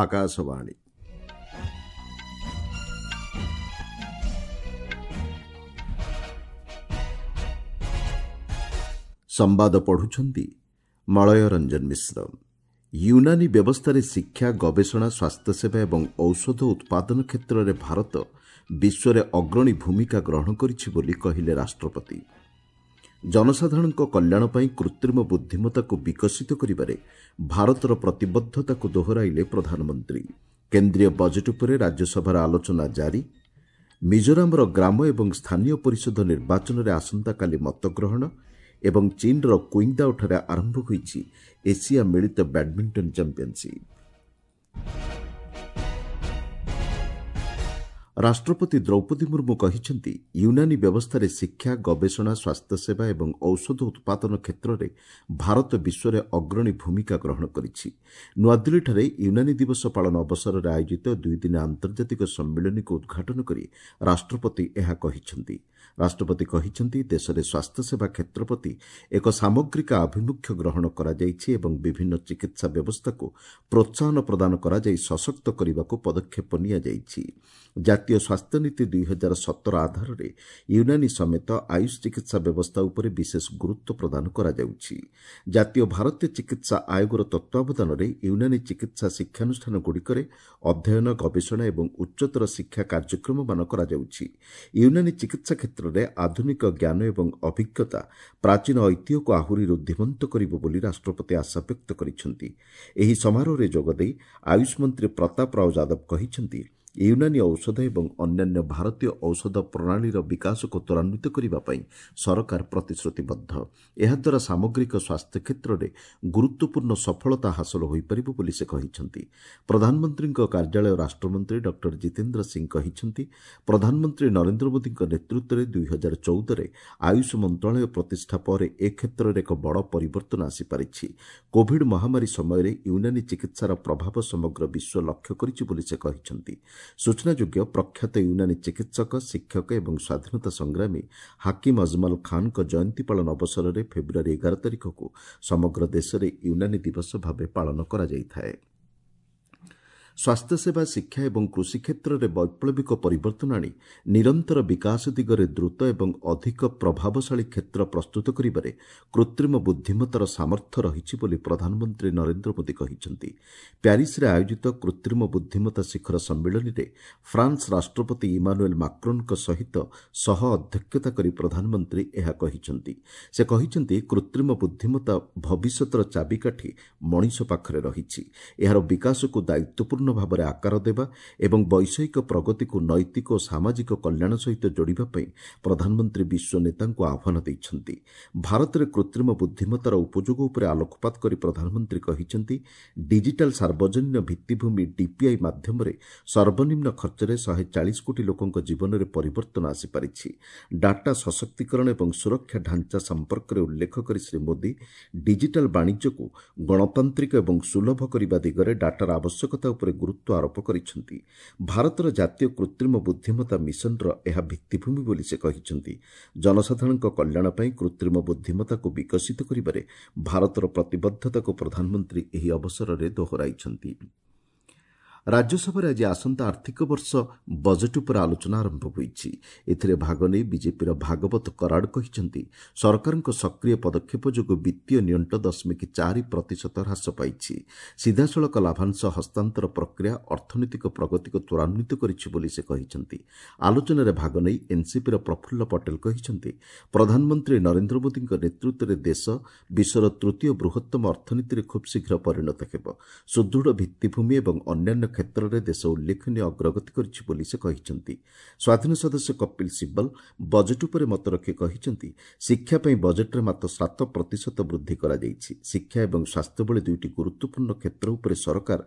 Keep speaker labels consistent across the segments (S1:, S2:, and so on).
S1: ଆକାଶବାଣୀ। ସମ୍ବାଦ ପଢୁଛନ୍ତି ମଳୟ ରଞ୍ଜନ ମିଶ୍ର। ୟୁନାନୀ ବ୍ୟବସ୍ଥାରେ ଶିକ୍ଷା, ଗବେଷଣା, ସ୍ୱାସ୍ଥ୍ୟସେବା ଏବଂ ଔଷଧ ଉତ୍ପାଦନ କ୍ଷେତ୍ରରେ ଭାରତ ବିଶ୍ୱରେ ଅଗ୍ରଣୀ ଭୂମିକା ଗ୍ରହଣ କରିଛି ବୋଲି କହିଲେ ରାଷ୍ଟ୍ରପତି। ଜନସାଧାରଣଙ୍କ କଲ୍ୟାଣ ପାଇଁ କୃତ୍ରିମ ବୁଦ୍ଧିମତ୍ତାକୁ ବିକଶିତ କରିବାରେ ଭାରତର ପ୍ରତିବଦ୍ଧତାକୁ ଦୋହରାଇଲେ ପ୍ରଧାନମନ୍ତ୍ରୀ। କେନ୍ଦ୍ରୀୟ ବଜେଟ୍ ଉପରେ ରାଜ୍ୟସଭାରେ ଆଲୋଚନା ଜାରି। ମିଜୋରାମର ଗ୍ରାମ ଏବଂ ସ୍ଥାନୀୟ ପରିଷଦ ନିର୍ବାଚନରେ ଆସନ୍ତାକାଲି ମତଗ୍ରହଣ ଏବଂ ଚୀନର କ୍ୱିଙ୍ଗଦାଓଠାରେ ଆରମ୍ଭ ହୋଇଛି ଏସିଆ ମିଳିତ ବ୍ୟାଡମିଣ୍ଟନ ଚାମ୍ପିୟନସିପ୍। ରାଷ୍ଟ୍ରପତି ଦ୍ରୌପଦୀ ମୁର୍ମୁ କହିଛନ୍ତି, ୟୁନାନୀ ବ୍ୟବସ୍ଥାରେ ଶିକ୍ଷା, ଗବେଷଣା, ସ୍ୱାସ୍ଥ୍ୟସେବା ଏବଂ ଔଷଧ ଉତ୍ପାଦନ କ୍ଷେତ୍ରରେ ଭାରତ ବିଶ୍ୱରେ ଅଗ୍ରଣୀ ଭୂମିକା ଗ୍ରହଣ କରିଛି। ନୂଆଦିଲ୍ଲୀଠାରେ ୟୁନାନୀ ଦିବସ ପାଳନ ଅବସରରେ ଆୟୋଜିତ ଦୁଇଦିନିଆ ଆନ୍ତର୍ଜାତିକ ସମ୍ମିଳନୀକୁ ଉଦ୍ଘାଟନ କରି ରାଷ୍ଟ୍ରପତି ଏହା କହିଛନ୍ତି। ରାଷ୍ଟ୍ରପତି କହିଛନ୍ତି, ଦେଶରେ ସ୍ୱାସ୍ଥ୍ୟସେବା କ୍ଷେତ୍ର ପ୍ରତି ଏକ ସାମଗ୍ରିକ ଆଭିମୁଖ୍ୟ ଗ୍ରହଣ କରାଯାଇଛି ଏବଂ ବିଭିନ୍ନ ଚିକିତ୍ସା ବ୍ୟବସ୍ଥାକୁ ପ୍ରୋତ୍ସାହନ ପ୍ରଦାନ କରାଯାଇ ସଶକ୍ତ କରିବାକୁ ପଦକ୍ଷେପ ନିଆଯାଇଛି। ଜାତୀୟ ସ୍ୱାସ୍ଥ୍ୟନୀତି 2017 ଆଧାରରେ ୟୁନାନୀ ସମେତ ଆୟୁଷ ଚିକିତ୍ସା ବ୍ୟବସ୍ଥା ଉପରେ ବିଶେଷ ଗୁରୁତ୍ୱ ପ୍ରଦାନ କରାଯାଉଛି। ଜାତୀୟ ଭାରତୀୟ ଚିକିତ୍ସା ଆୟୋଗର ତତ୍ତ୍ୱାବଧାନରେ ୟୁନାନୀ ଚିକିତ୍ସା ଶିକ୍ଷାନୁଷ୍ଠାନଗୁଡ଼ିକରେ ଅଧ୍ୟୟନ, ଗବେଷଣା ଏବଂ ଉଚ୍ଚତର ଶିକ୍ଷା କାର୍ଯ୍ୟକ୍ରମମାନ କରାଯାଉଛି। ୟୁନାନୀ ଚିକିତ୍ସା କ୍ଷେତ୍ରରେ ଆଧୁନିକ ଜ୍ଞାନ ଏବଂ ଅଭିଜ୍ଞତା ପ୍ରାଚୀନ ଐତିହ୍ୟକୁ ଆହୁରି ଋଦ୍ଧିମନ୍ତ କରିବ ବୋଲି ରାଷ୍ଟ୍ରପତି ଆଶାବ୍ୟକ୍ତ କରିଛନ୍ତି। ଏହି ସମାରୋହରେ ଯୋଗଦେଇ ଆୟୁଷ ମନ୍ତ୍ରୀ ପ୍ରତାପ ରାଓ ଯାଦବ କହିଛନ୍ତି, ୟୁନାନୀ ଔଷଧ ଏବଂ ଅନ୍ୟାନ୍ୟ ଭାରତୀୟ ଔଷଧ ପ୍ରଣାଳୀର ବିକାଶକୁ ତ୍ୱରାନ୍ୱିତ କରିବା ପାଇଁ ସରକାର ପ୍ରତିଶ୍ରୁତିବଦ୍ଧ। ଏହାଦ୍ୱାରା ସାମଗ୍ରିକ ସ୍ୱାସ୍ଥ୍ୟ କ୍ଷେତ୍ରରେ ଗୁରୁତ୍ୱପୂର୍ଣ୍ଣ ସଫଳତା ହାସଲ ହୋଇପାରିବ ବୋଲି ସେ କହିଛନ୍ତି। ପ୍ରଧାନମନ୍ତ୍ରୀଙ୍କ କାର୍ଯ୍ୟାଳୟ ରାଷ୍ଟ୍ରମନ୍ତ୍ରୀ ଡକ୍ଟର ଜିତେନ୍ଦ୍ର ସିଂ କହିଛନ୍ତି, ପ୍ରଧାନମନ୍ତ୍ରୀ ନରେନ୍ଦ୍ର ମୋଦିଙ୍କ ନେତୃତ୍ୱରେ 2014ରେ ଆୟୁଷ ମନ୍ତ୍ରଣାଳୟ ପ୍ରତିଷ୍ଠା ପରେ ଏ କ୍ଷେତ୍ରରେ ଏକ ବଡ଼ ପରିବର୍ତ୍ତନ ଆସିପାରିଛି। କୋଭିଡ୍ ମହାମାରୀ ସମୟରେ ୟୁନାନୀ ଚିକିତ୍ସାର ପ୍ରଭାବ ସମଗ୍ର ବିଶ୍ୱ ଲକ୍ଷ୍ୟ କରିଛି ବୋଲି ସେ କହିଛନ୍ତି। ସୂଚନାଯୋଗ୍ୟ, ପ୍ରଖ୍ୟାତ ୟୁନାନୀ ଚିକିତ୍ସକ, ଶିକ୍ଷକ ଏବଂ ସ୍ୱାଧୀନତା ସଂଗ୍ରାମୀ ହାକିମ ଅଜମଲ ଖାନଙ୍କ ଜୟନ୍ତୀ ପାଳନ ଅବସରରେ ଫେବୃଆରୀ 11 ତାରିଖକୁ ସମଗ୍ର ଦେଶରେ ୟୁନାନୀ ଦିବସ ଭାବେ ପାଳନ କରାଯାଇଥାଏ। ସ୍ୱାସ୍ଥ୍ୟସେବା, ଶିକ୍ଷା ଏବଂ କୃଷି କ୍ଷେତ୍ରରେ ବୈପ୍ଳବିକ ପରିବର୍ତ୍ତନ ଆଣି ନିରନ୍ତର ବିକାଶ ଦିଗରେ ଦ୍ରୁତ ଏବଂ ଅଧିକ ପ୍ରଭାବଶାଳୀ କ୍ଷେତ୍ର ପ୍ରସ୍ତୁତ କରିବାରେ କୃତ୍ରିମ ବୁଦ୍ଧିମତ୍ତାର ସାମର୍ଥ୍ୟ ରହିଛି ବୋଲି ପ୍ରଧାନମନ୍ତ୍ରୀ ନରେନ୍ଦ୍ର ମୋଦି କହିଛନ୍ତି। ପ୍ୟାରିସରେ ଆୟୋଜିତ କୃତ୍ରିମ ବୁଦ୍ଧିମତ୍ତା ଶିଖର ସମ୍ମିଳନୀରେ ଫ୍ରାନ୍ସ ରାଷ୍ଟ୍ରପତି ଇମାନୁଏଲ ମାକ୍ରୋନଙ୍କ ସହିତ ସହ ଅଧ୍ୟକ୍ଷତା କରି ପ୍ରଧାନମନ୍ତ୍ରୀ ଏହା କହିଛନ୍ତି। ସେ କହିଛନ୍ତି, କୃତ୍ରିମ ବୁଦ୍ଧିମତ୍ତା ଭବିଷ୍ୟତର ଚାବିକାଠି ମଣିଷ ପାଖରେ ରହିଛି। ଏହାର ବିକାଶକୁ ଦାୟିତ୍ୱପୂର୍ଣ୍ଣ ଭାବରେ ଆକାର ଦେବା ଏବଂ ବୈଷୟିକ ପ୍ରଗତିକୁ ନୈତିକ ଓ ସାମାଜିକ କଲ୍ୟାଣ ସହିତ ଯୋଡ଼ିବା ପାଇଁ ପ୍ରଧାନମନ୍ତ୍ରୀ ବିଶ୍ୱ ନେତାଙ୍କୁ ଆହ୍ୱାନ ଦେଇଛନ୍ତି। ଭାରତରେ କୃତ୍ରିମ ବୁଦ୍ଧିମତ୍ତାର ଉପଯୋଗ ଉପରେ ଆଲୋକପାତ କରି ପ୍ରଧାନମନ୍ତ୍ରୀ କହିଛନ୍ତି, ଡିଜିଟାଲ ସାର୍ବଜନୀନ ଭିତ୍ତିଭୂମି ଡିପିଆଇ ମାଧ୍ୟମରେ ସର୍ବନିମ୍ନ ଖର୍ଚ୍ଚରେ 140 କୋଟି ଲୋକଙ୍କ ଜୀବନରେ ପରିବର୍ତ୍ତନ ଆସିପାରିଛି। ଡାଟା ସଶକ୍ତିକରଣ ଏବଂ ସୁରକ୍ଷା ଢାଞ୍ଚା ସମ୍ପର୍କରେ ଉଲ୍ଲେଖ କରି ଶ୍ରୀ ମୋଦି ଡିଜିଟାଲ ବାଣିଜ୍ୟକୁ ଗଣତାନ୍ତ୍ରିକ ଏବଂ ସୁଲଭ କରିବା ଦିଗରେ ଡାଟାର ଆବଶ୍ୟକତା ଉପରେ ଗୁରୁତ୍ୱ ଆରୋପ କରିଛନ୍ତି। ଭାରତର ଜାତୀୟ କୃତ୍ରିମ ବୁଦ୍ଧିମତ୍ତା ମିଶନର ଏହା ଭିତ୍ତିଭୂମି ବୋଲି ସେ କହିଛନ୍ତି। ଜନସାଧାରଣଙ୍କ କଲ୍ୟାଣ ପାଇଁ କୃତ୍ରିମ ବୁଦ୍ଧିମତ୍ତାକୁ ବିକଶିତ କରିବାରେ ଭାରତର ପ୍ରତିବଦ୍ଧତାକୁ ପ୍ରଧାନମନ୍ତ୍ରୀ ଏହି ଅବସରରେ ଦୋହରାଇଛନ୍ତି। ରାଜ୍ୟସଭାରେ ଆଜି ଆସନ୍ତା ଆର୍ଥିକ ବର୍ଷ ବଜେଟ୍ ଉପରେ ଆଲୋଚନା ଆରମ୍ଭ ହୋଇଛି। ଏଥିରେ ଭାଗ ନେଇ ବିଜେପିର ଭାଗବତ କରାଡ କହିଛନ୍ତି, ସରକାରଙ୍କ ସକ୍ରିୟ ପଦକ୍ଷେପ ଯୋଗୁଁ ବିତ୍ତୀୟ ନିଅଣ୍ଟ 0.4% ହ୍ରାସ ପାଇଛି। ସିଧାସଳଖ ଲାଭାଂଶ ହସ୍ତାନ୍ତର ପ୍ରକ୍ରିୟା ଅର୍ଥନୈତିକ ପ୍ରଗତିକୁ ତ୍ୱରାନ୍ୱିତ କରିଛି ବୋଲି ସେ କହିଛନ୍ତି। ଆଲୋଚନାରେ ଭାଗ ନେଇ ଏନ୍ସିପିର ପ୍ରଫୁଲ୍ଲ ପଟେଲ କହିଛନ୍ତି, ପ୍ରଧାନମନ୍ତ୍ରୀ ନରେନ୍ଦ୍ର ମୋଦିଙ୍କ ନେତୃତ୍ୱରେ ଦେଶ ବିଶ୍ୱର ତୃତୀୟ ବୃହତ୍ତମ ଅର୍ଥନୀତିରେ ଖୁବ୍ ଶୀଘ୍ର ପରିଣତ ହେବ। ସୁଦୃଢ଼ ଭିତ୍ତିଭୂମି ଏବଂ ଅନ୍ୟାନ୍ୟ କ୍ଷେତ୍ରରେ ଦେଶ ଉଲ୍ଲେଖନୀୟ ଅଗ୍ରଗତି କରିଛି ବୋଲି ସେ କହିଛନ୍ତି। ସ୍ୱାଧୀନ ସଦସ୍ୟ କପିଲ ସିବ୍ବଲ ବଜେଟ୍ ଉପରେ ମତ ରଖି କହିଛନ୍ତି, ଶିକ୍ଷା ପାଇଁ ବଜେଟ୍ରେ ମାତ୍ର 7% ବୃଦ୍ଧି କରାଯାଇଛି। ଶିକ୍ଷା ଏବଂ ସ୍ୱାସ୍ଥ୍ୟ ଭଳି ଦୁଇଟି ଗୁରୁତ୍ୱପୂର୍ଣ୍ଣ କ୍ଷେତ୍ର ଉପରେ ସରକାର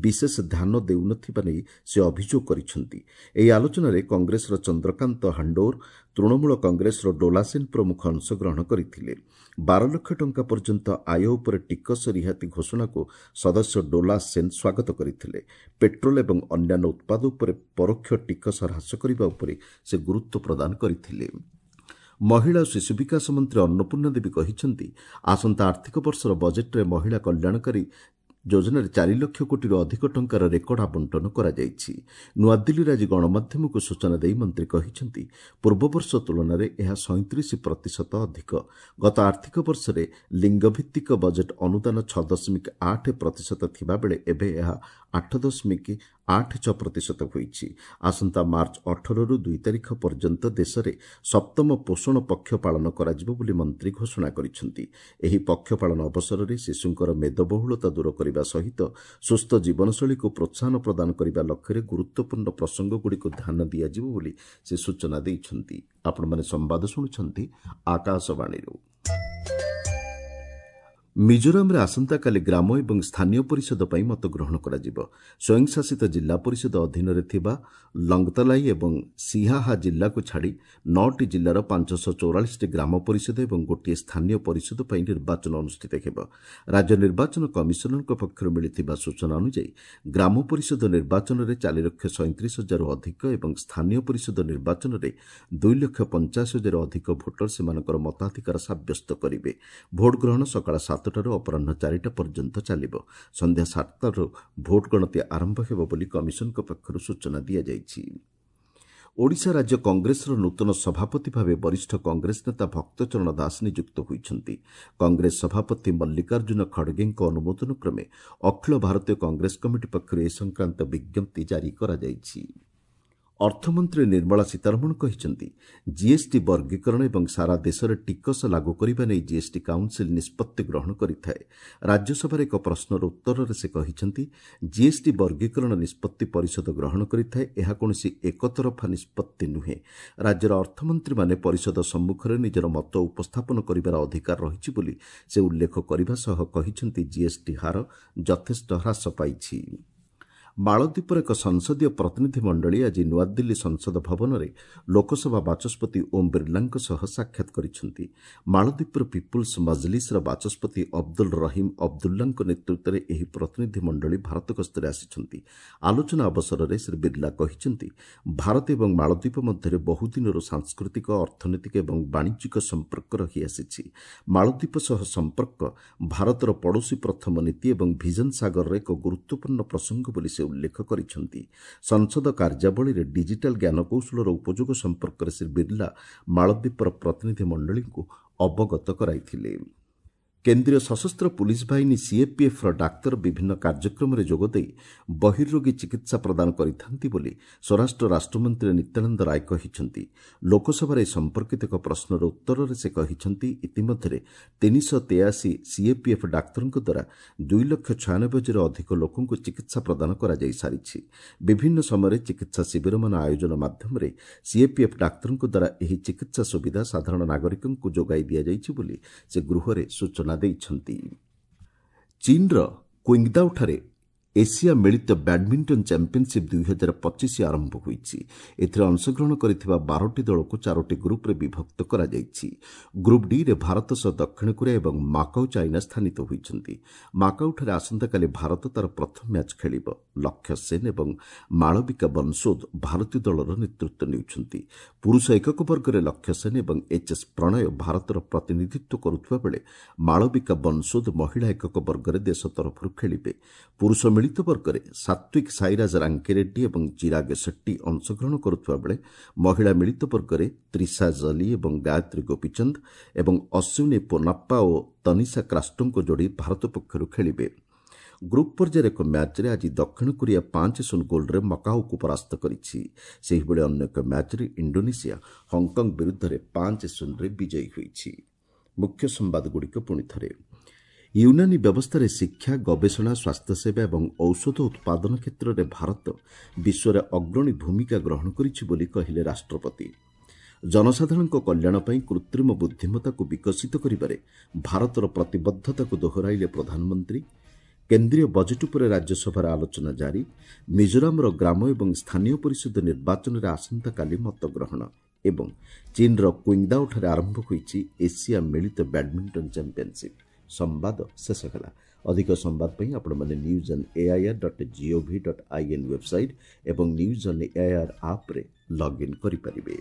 S1: ବିଶେଷ ଧ୍ୟାନ ଦେଉନଥିବା ନେଇ ସେ ଅଭିଯୋଗ କରିଛନ୍ତି। ଏହି ଆଲୋଚନାରେ କଂଗ୍ରେସର ଚନ୍ଦ୍ରକାନ୍ତ ହାଣ୍ଡୋର, ତୃଣମୂଳ କଂଗ୍ରେସର ଡୋଲା ସେନ୍ ପ୍ରମୁଖ ଅଂଶଗ୍ରହଣ କରିଥିଲେ। 12 ଲକ୍ଷ ଟଙ୍କା ପର୍ଯ୍ୟନ୍ତ ଆୟ ଉପରେ ଟିକସ ରିହାତି ଘୋଷଣାକୁ ସଦସ୍ୟ ଡୋଲା ସେନ୍ ସ୍ୱାଗତ କରିଥିଲେ। ପେଟ୍ରୋଲ ଏବଂ ଅନ୍ୟାନ୍ୟ ଉତ୍ପାଦ ଉପରେ ପରୋକ୍ଷ ଟିକସ ହ୍ରାସ କରିବା ଉପରେ ସେ ଗୁରୁତ୍ୱ ପ୍ରଦାନ କରିଥିଲେ। ମହିଳା ଓ ଶିଶୁ ବିକାଶ ମନ୍ତ୍ରୀ ଅନ୍ନପୂର୍ଣ୍ଣା ଦେବୀ କହିଛନ୍ତି, ଆସନ୍ତା ଆର୍ଥିକ ବର୍ଷର ବଜେଟ୍ରେ ମହିଳା କଲ୍ୟାଣକାରୀ ଯୋଜନାରେ 4 ଲକ୍ଷ କୋଟିରୁ ଅଧିକ ଟଙ୍କାର ରେକର୍ଡ ଆବଣ୍ଟନ କରାଯାଇଛି। ନୂଆଦିଲ୍ଲୀରେ ଆଜି ଗଣମାଧ୍ୟମକୁ ସୂଚନା ଦେଇ ମନ୍ତ୍ରୀ କହିଛନ୍ତି, ପୂର୍ବବର୍ଷ ତୁଳନାରେ ଏହା 37% ଅଧିକ। ଗତ ଆର୍ଥିକ ବର୍ଷରେ ଲିଙ୍ଗଭିତ୍ତିକ ବଜେଟ୍ ଅନୁଦାନ 6.8% ଥିବାବେଳେ ଏବେ ଏହା 8.86% ହୋଇଛି। ଆସନ୍ତା ମାର୍ଚ୍ଚ 18ରୁ 2 ତାରିଖ ପର୍ଯ୍ୟନ୍ତ ଦେଶରେ ସପ୍ତମ ପୋଷଣ ପକ୍ଷ ପାଳନ କରାଯିବ ବୋଲି ମନ୍ତ୍ରୀ ଘୋଷଣା କରିଛନ୍ତି। ଏହି ପକ୍ଷ ପାଳନ ଅବସରରେ ଶିଶୁଙ୍କର ମେଦବହୁଳତା ଦୂର କରିବା ସହିତ ସୁସ୍ଥ ଜୀବନଶୈଳୀକୁ ପ୍ରୋତ୍ସାହନ ପ୍ରଦାନ କରିବା ଲକ୍ଷ୍ୟରେ ଗୁରୁତ୍ୱପୂର୍ଣ୍ଣ ପ୍ରସଙ୍ଗଗୁଡ଼ିକୁ ଧ୍ୟାନ ଦିଆଯିବ ବୋଲି ସେ ସୂଚନା ଦେଇଛନ୍ତି। ଆପଣମାନେ ସମ୍ବାଦ ଶୁଣୁଛନ୍ତି ଆକାଶବାଣୀରୁ। ମିଜୋରାମରେ ଆସନ୍ତାକାଲି ଗ୍ରାମ ଏବଂ ସ୍ଥାନୀୟ ପରିଷଦ ପାଇଁ ମତଗ୍ରହଣ କରାଯିବ। ସ୍ୱୟଂଶାସିତ ଜିଲ୍ଲା ପରିଷଦ ଅଧୀନରେ ଥିବା ଲଙ୍ଗତଲାଇ ଏବଂ ସିହାହା ଜିଲ୍ଲାକୁ ଛାଡ଼ି 9ଟି ଜିଲ୍ଲାର 544ଟି ଗ୍ରାମ ପରିଷଦ ଏବଂ ଗୋଟିଏ ସ୍ଥାନୀୟ ପରିଷଦ ପାଇଁ ନିର୍ବାଚନ ଅନୁଷ୍ଠିତ ହେବ। ରାଜ୍ୟ ନିର୍ବାଚନ କମିଶନରଙ୍କ ପକ୍ଷରୁ ମିଳିଥିବା ସୂଚନା ଅନୁଯାୟୀ ଗ୍ରାମ ପରିଷଦ ନିର୍ବାଚନରେ 4,37,000ରୁ ଅଧିକ ଏବଂ ସ୍ଥାନୀୟ ପରିଷଦ ନିର୍ବାଚନରେ 2,85,000ରୁ ଅଧିକ ଭୋଟର ସେମାନଙ୍କର ମତାଧିକାର ସାବ୍ୟସ୍ତ କରିବେ। ଭୋଟ ଗ୍ରହଣ ସକାଳ 7ଟାରୁ ଅପରାହ୍ନ 4ଟା ପର୍ଯ୍ୟନ୍ତ ଚାଲିବ। ସନ୍ଧ୍ୟା 7ଟାରୁ ଭୋଟ ଗଣତି ଆରମ୍ଭ ହେବ ବୋଲି କମିଶନଙ୍କ ପକ୍ଷରୁ ସୂଚନା ଦିଆଯାଇଛି। ଓଡ଼ିଶା ରାଜ୍ୟ କଂଗ୍ରେସର ନୂତନ ସଭାପତି ଭାବେ ବରିଷ୍ଠ କଂଗ୍ରେସ ନେତା ଭକ୍ତଚରଣ ଦାସ ନିଯୁକ୍ତ ହୋଇଛନ୍ତି। କଂଗ୍ରେସ ସଭାପତି ମଲ୍ଲିକାର୍ଜୁନ ଖଡ଼ଗେଙ୍କ ଅନୁମୋଦନ କ୍ରମେ ଅଖିଳ ଭାରତୀୟ କଂଗ୍ରେସ କମିଟି ପକ୍ଷରୁ ଏ ସଂକ୍ରାନ୍ତ ବିଜ୍ଞପ୍ତି ଜାରି କରାଯାଇଛି। ଅର୍ଥମନ୍ତ୍ରୀ ନିର୍ମଳା ସୀତାରମଣ କହିଛନ୍ତି, ଜିଏସ୍ଟି ବର୍ଗୀକରଣ ଏବଂ ସାରା ଦେଶରେ ଟିକସ ଲାଗୁ କରିବା ନେଇ ଜିଏସ୍ଟି କାଉନ୍ସିଲ୍ ନିଷ୍ପତ୍ତି ଗ୍ରହଣ କରିଥାଏ। ରାଜ୍ୟସଭାରେ ଏକ ପ୍ରଶ୍ନର ଉତ୍ତରରେ ସେ କହିଛନ୍ତି, ଜିଏସ୍ଟି ବର୍ଗୀକରଣ ନିଷ୍ପତ୍ତି ପରିଷଦ ଗ୍ରହଣ କରିଥାଏ, ଏହା କୌଣସି ଏକତରଫା ନିଷ୍ପତ୍ତି ନୁହେଁ। ରାଜ୍ୟର ଅର୍ଥମନ୍ତ୍ରୀମାନେ ପରିଷଦ ସମ୍ମୁଖରେ ନିଜର ମତ ଉପସ୍ଥାପନ କରିବାର ଅଧିକାର ରହିଛି ବୋଲି ସେ ଉଲ୍ଲେଖ କରିବା ସହ କହିଛନ୍ତି, ଜିଏସ୍ଟି ହାର ଯଥେଷ୍ଟ ହ୍ରାସ ପାଇଛି। ମାଳଦ୍ୱୀପର ଏକ ସଂସଦୀୟ ପ୍ରତିନିଧି ମଣ୍ଡଳୀ ଆଜି ନୂଆଦିଲ୍ଲୀ ସଂସଦ ଭବନରେ ଲୋକସଭା ବାଚସ୍ପତି ଓମ୍ ବିର୍ଲାଙ୍କ ସହ ସାକ୍ଷାତ କରିଛନ୍ତି। ମାଳଦ୍ୱୀପର ପିପୁଲ୍ସ ମଜଲିସ୍ର ବାଚସ୍ପତି ଅବଦୁଲ ରହିମ୍ ଅବଦୁଲ୍ଲାଙ୍କ ନେତୃତ୍ୱରେ ଏହି ପ୍ରତିନିଧି ମଣ୍ଡଳୀ ଭାରତ ଗସ୍ତରେ ଆସିଛନ୍ତି। ଆଲୋଚନା ଅବସରରେ ଶ୍ରୀ ବିର୍ଲା କହିଛନ୍ତି, ଭାରତ ଏବଂ ମାଳଦ୍ୱୀପ ମଧ୍ୟରେ ବହୁଦିନରୁ ସାଂସ୍କୃତିକ, ଅର୍ଥନୈତିକ ଏବଂ ବାଣିଜ୍ୟିକ ସମ୍ପର୍କ ରହିଆସିଛି। ମାଳଦ୍ୱୀପ ସହ ସମ୍ପର୍କ ଭାରତର ପଡ଼ୋଶୀ ପ୍ରଥମ ନୀତି ଏବଂ ଭିଜନ ସାଗରର ଏକ ଗୁରୁତ୍ୱପୂର୍ଣ୍ଣ ପ୍ରସଙ୍ଗ ବୋଲି ସେ ଉଲ୍ଲେଖ କରିଛନ୍ତି। ସଂସଦ କାର୍ଯ୍ୟାବଳୀରେ ଡିଜିଟାଲ ଜ୍ଞାନକୌଶଳର ଉପଯୋଗ ସମ୍ପର୍କରେ ଶ୍ରୀ ବିର୍ଲା ମାଳଦ୍ୱୀପର ପ୍ରତିନିଧି ମଣ୍ଡଳୀଙ୍କୁ ଅବଗତ କରାଇଥିଲେ। କେନ୍ଦ୍ରୀୟ ସଶସ୍ତ୍ର ପୁଲିସ୍ ବାହିନୀ ସିଏପିଏଫ୍ର ଡାକ୍ତର ବିଭିନ୍ନ କାର୍ଯ୍ୟକ୍ରମରେ ଯୋଗଦେଇ ବହିର୍ରୋଗୀ ଚିକିତ୍ସା ପ୍ରଦାନ କରିଥାନ୍ତି ବୋଲି ସ୍ୱରାଷ୍ଟ୍ର ରାଷ୍ଟ୍ରମନ୍ତ୍ରୀ ନିତ୍ୟାନନ୍ଦ ରାୟ କହିଛନ୍ତି। ଲୋକସଭାରେ ଏ ସମ୍ପର୍କିତ ଏକ ପ୍ରଶ୍ନର ଉତ୍ତରରେ ସେ କହିଛନ୍ତି, ଇତିମଧ୍ୟରେ 383 ସିଏପିଏଫ୍ ଡାକ୍ତରଙ୍କ ଦ୍ୱାରା 2,96,000 ଅଧିକ ଲୋକଙ୍କୁ ଚିକିତ୍ସା ପ୍ରଦାନ କରାଯାଇସାରିଛି। ବିଭିନ୍ନ ସମୟରେ ଚିକିତ୍ସା ଶିବିରମାନ ଆୟୋଜନ ମାଧ୍ୟମରେ ସିଏପିଏଫ୍ ଡାକ୍ତରଙ୍କ ଦ୍ୱାରା ଏହି ଚିକିତ୍ସା ସୁବିଧା ସାଧାରଣ ନାଗରିକଙ୍କୁ ଯୋଗାଇ ଦିଆଯାଇଛି ବୋଲି ସେ ଗୃହରେ ସୂଚନା ଦେଇଛନ୍ତି। ଚୀନ୍ର କ୍ୱିଙ୍ଗଦାଓଠାରେ ଏସିଆ ମିଳିତ ବ୍ୟାଡ୍ମିଣ୍ଟନ ଚାମ୍ପିୟନସିପ୍ 2025 ଆରମ୍ଭ ହୋଇଛି। ଏଥିରେ ଅଂଶଗ୍ରହଣ କରିଥିବା 12ଟି ଦଳକୁ 4ଟି ଗ୍ରୁପ୍ରେ ବିଭକ୍ତ କରାଯାଇଛି। ଗ୍ରୁପ୍ ଡିରେ ଭାରତ ସହ ଦକ୍ଷିଣ କୋରିଆ ଏବଂ ମାକାଉ ଚାଇନା ସ୍ଥାନିତ ହୋଇଛନ୍ତି। ମାକାଉଠାରେ ଆସନ୍ତାକାଲି ଭାରତ ତା'ର ପ୍ରଥମ ମ୍ୟାଚ୍ ଖେଳିବ। ଲକ୍ଷ୍ୟ ସେନ୍ ଏବଂ ମାଳବିକା ବନସୋଦ ଭାରତୀୟ ଦଳର ନେତୃତ୍ୱ ନେଉଛନ୍ତି। ପୁରୁଷ ଏକକ ବର୍ଗରେ ଲକ୍ଷ୍ୟ ସେନ୍ ଏବଂ ଏଚ୍ ଏସ୍ ପ୍ରଣୟ ଭାରତର ପ୍ରତିନିଧିତ୍ୱ କରୁଥିବା ବେଳେ ମାଳବିକା ବନସୋଦ ମହିଳା ଏକକ ବର୍ଗରେ ଦେଶ ତରଫରୁ ଖେଳିବେ। ପୁରୁଷ ମିଳିତ ବର୍ଗରେ ସାତ୍ୱିକ ସାଇରାଜ ରାଙ୍କିରେଡ୍ଡି ଏବଂ ଚିରାଗ ସେଟ୍ଟି ଅଂଶଗ୍ରହଣ କରୁଥିବା ବେଳେ ମହିଳା ମିଳିତ ବର୍ଗରେ ତ୍ରିଷା ଜଲି ଏବଂ ଗାୟତ୍ରୀ ଗୋପୀଚନ୍ଦ ଏବଂ ଅଶ୍ୱିନୀ ପୋନାପ୍ପା ଓ ତନିଷା କ୍ରାଷ୍ଟୋଙ୍କ ଯୋଡ଼ି ଭାରତ ପକ୍ଷରୁ ଖେଳିବେ। ଗ୍ରୁପ୍ ପର୍ଯ୍ୟାୟରେ ଏକ ମ୍ୟାଚ୍ରେ ଆଜି ଦକ୍ଷିଣ କୋରିଆ 5-0 ଗୋଲ୍ରେ ମକାଉକୁ ପରାସ୍ତ କରିଛି। ସେହିଭଳି ଅନ୍ୟ ଏକ ମ୍ୟାଚ୍ରେ ଇଣ୍ଡୋନେସିଆ ହଂକଂ ବିରୁଦ୍ଧରେ 5-0ରେ ବିଜୟୀ ହୋଇଛି। ମୁଖ୍ୟ ସମ୍ବାଦଗୁଡ଼ିକ ପୁଣି ଥରେ। ୟୁନାନୀ ବ୍ୟବସ୍ଥାରେ ଶିକ୍ଷା, ଗବେଷଣା, ସ୍ୱାସ୍ଥ୍ୟସେବା ଏବଂ ଔଷଧ ଉତ୍ପାଦନ କ୍ଷେତ୍ରରେ ଭାରତ ବିଶ୍ୱରେ ଅଗ୍ରଣୀ ଭୂମିକା ଗ୍ରହଣ କରିଛି ବୋଲି କହିଲେ ରାଷ୍ଟ୍ରପତି। ଜନସାଧାରଣଙ୍କ କଲ୍ୟାଣ ପାଇଁ କୃତ୍ରିମ ବୁଦ୍ଧିମତ୍ତାକୁ ବିକଶିତ କରିବାରେ ଭାରତର ପ୍ରତିବଦ୍ଧତାକୁ ଦୋହରାଇଲେ ପ୍ରଧାନମନ୍ତ୍ରୀ। କେନ୍ଦ୍ରୀୟ ବଜେଟ୍ ଉପରେ ରାଜ୍ୟସଭାରେ ଆଲୋଚନା ଜାରି। ମିଜୋରାମର ଗ୍ରାମ ଏବଂ ସ୍ଥାନୀୟ ପରିଷଦ ନିର୍ବାଚନରେ ଆସନ୍ତାକାଲି ମତଗ୍ରହଣ ଏବଂ ଚୀନ୍ର କ୍ୱିଙ୍ଗଦାଓଠାରେ ଆରମ୍ଭ ହୋଇଛି ଏସିଆ ମିଳିତ ବ୍ୟାଡ୍ମିଣ୍ଟନ ଚାମ୍ପିୟନସିପ୍। ସମ୍ବାଦ ଶେଷ ହେଲା। ଅଧିକ ସମ୍ବାଦ ପାଇଁ ଆପଣମାନେ news on AIR dot gov dot in website ଏବଂ ନ୍ୟୁଜ୍ ଅନ୍ ଏଆଇଆର୍ ଆପ୍ରେ ଲଗ୍ଇନ୍ କରିପାରିବେ।